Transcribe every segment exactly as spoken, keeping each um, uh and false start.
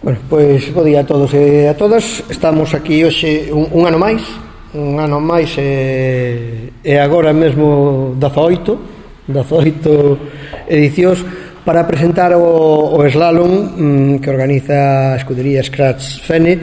Bueno, pois bo día a todos e a todas. Estamos aquí hoxe un, un ano máis un ano máis e, e agora mesmo dezaoito edicións para presentar o, o slalom mm, que organiza a escudería Scratch Fene,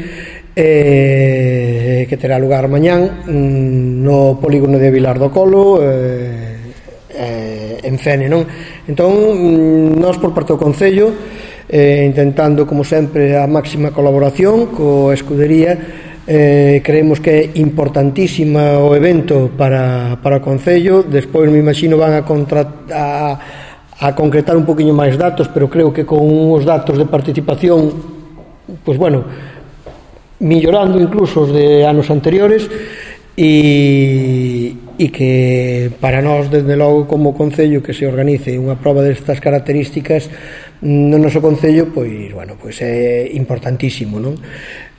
eh, que terá lugar mañán mm, no polígono de Vilar do Colo, eh, eh, en Fene, non? Entón, mm, nós por parte do Concello, Eh, intentando, como sempre, a máxima colaboración coa escudería, eh, creemos que é importantísima o evento para, para o Concello. Despois me imagino van a, contra, a, a concretar un poquinho máis datos, pero creo que con os datos de participación, pois bueno, millorando incluso os de anos anteriores, e, e que para nós, desde logo, como Concello, que se organice unha proba destas características no noso Concello, pois, bueno, pois é importantísimo, non?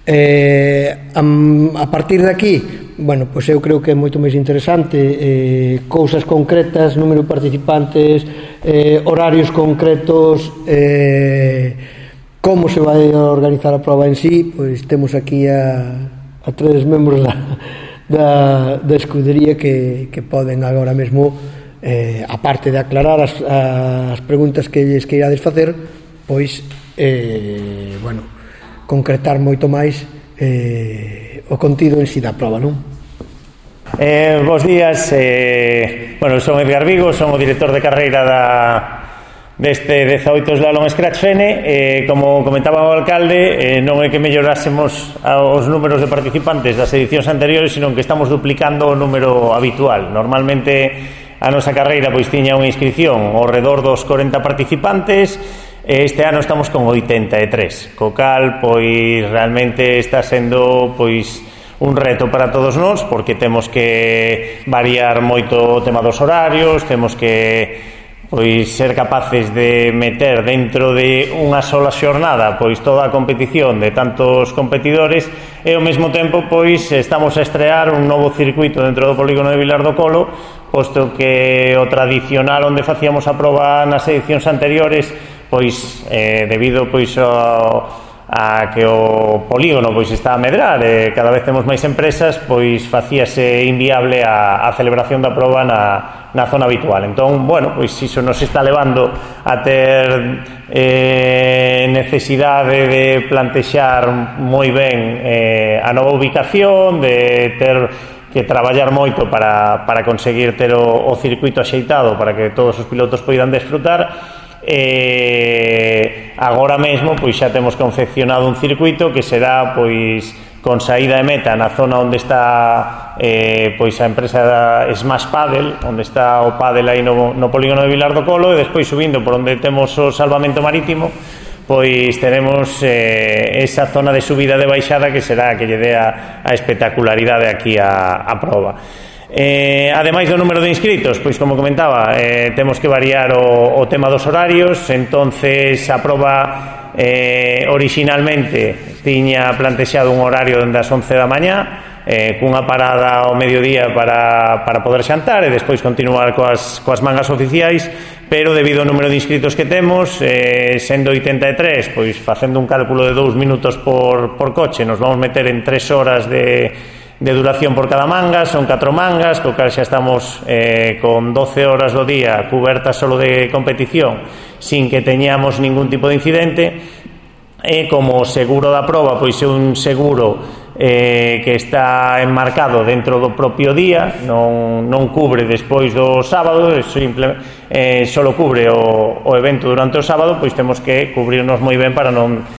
Eh, a, a partir de aquí, bueno, pois eu creo que é moito máis interesante, eh, cousas concretas, número de participantes, eh, horarios concretos, eh, como se vai a organizar a proba en sí. Pois temos aquí a, a tres membros da, da, da escudería que, que poden agora mesmo, Eh, aparte de aclarar as, as preguntas que lles queirades facer, pois eh, bueno, concretar moito máis eh, o contido en si da prova, non? Eh, bos días, eh, bueno, son Edgar Vigo, son o director de carreira da deste dezaoito Slalom Scratch Fene. Eh, como comentaba o alcalde, eh, non é que mellorásemos os números de participantes das edicións anteriores, sino que estamos duplicando o número habitual. Normalmente a nosa carreira pois tiña unha inscripción ao redor dos corenta participantes, e este ano estamos con oitenta e tres, co cal pois realmente está sendo pois un reto para todos nós, porque temos que variar moito o tema dos horarios, temos que pois ser capaces de meter dentro de unha sola xornada pois toda a competición de tantos competidores, e ao mesmo tempo pois estamos a estrear un novo circuito dentro do polígono de Vilar do Colo, posto que o tradicional onde facíamos a proba nas edicións anteriores, pois eh, debido pois ao a que o polígono pois está a medrar e cada vez temos máis empresas, pois facíase inviable a, a celebración da proba na, na zona habitual. Entón, bueno, pois iso nos está levando a ter eh, necesidade de plantexar moi ben eh, a nova ubicación, de ter que traballar moito para, para conseguir ter o, o circuito axeitado para que todos os pilotos poidan desfrutar. E agora mesmo pois xa temos confeccionado un circuito que será pois con saída de meta na zona onde está eh, pois a empresa Smash Paddle, onde está o paddle aí no, no polígono de Vilar do Colo, e despois subindo por onde temos o salvamento marítimo, pois teremos eh, esa zona de subida de baixada que será que lle dé a, a espectacularidade aquí a, a proba. Eh, ademais do número de inscritos, pois como comentaba, eh, temos que variar o, o tema dos horarios. Entonces a proba eh, originalmente tiña plantexado un horario dende as once da mañá, eh, cunha parada ao mediodía para, para poder xantar e despois continuar coas, coas mangas oficiais, pero debido ao número de inscritos que temos, eh, sendo oitenta e tres, pois facendo un cálculo de dous minutos por, por coche, nos vamos meter en tres horas de de duración por cada manga. Son catro mangas, co cal xa estamos eh, con doce horas do día cubertas solo de competición, sin que teñamos ningún tipo de incidente. E como seguro da proba, pois é un seguro eh, que está enmarcado dentro do propio día, non, non cubre despois do sábado, simple, eh, solo cubre o, o evento durante o sábado, pois temos que cubrirnos moi ben para non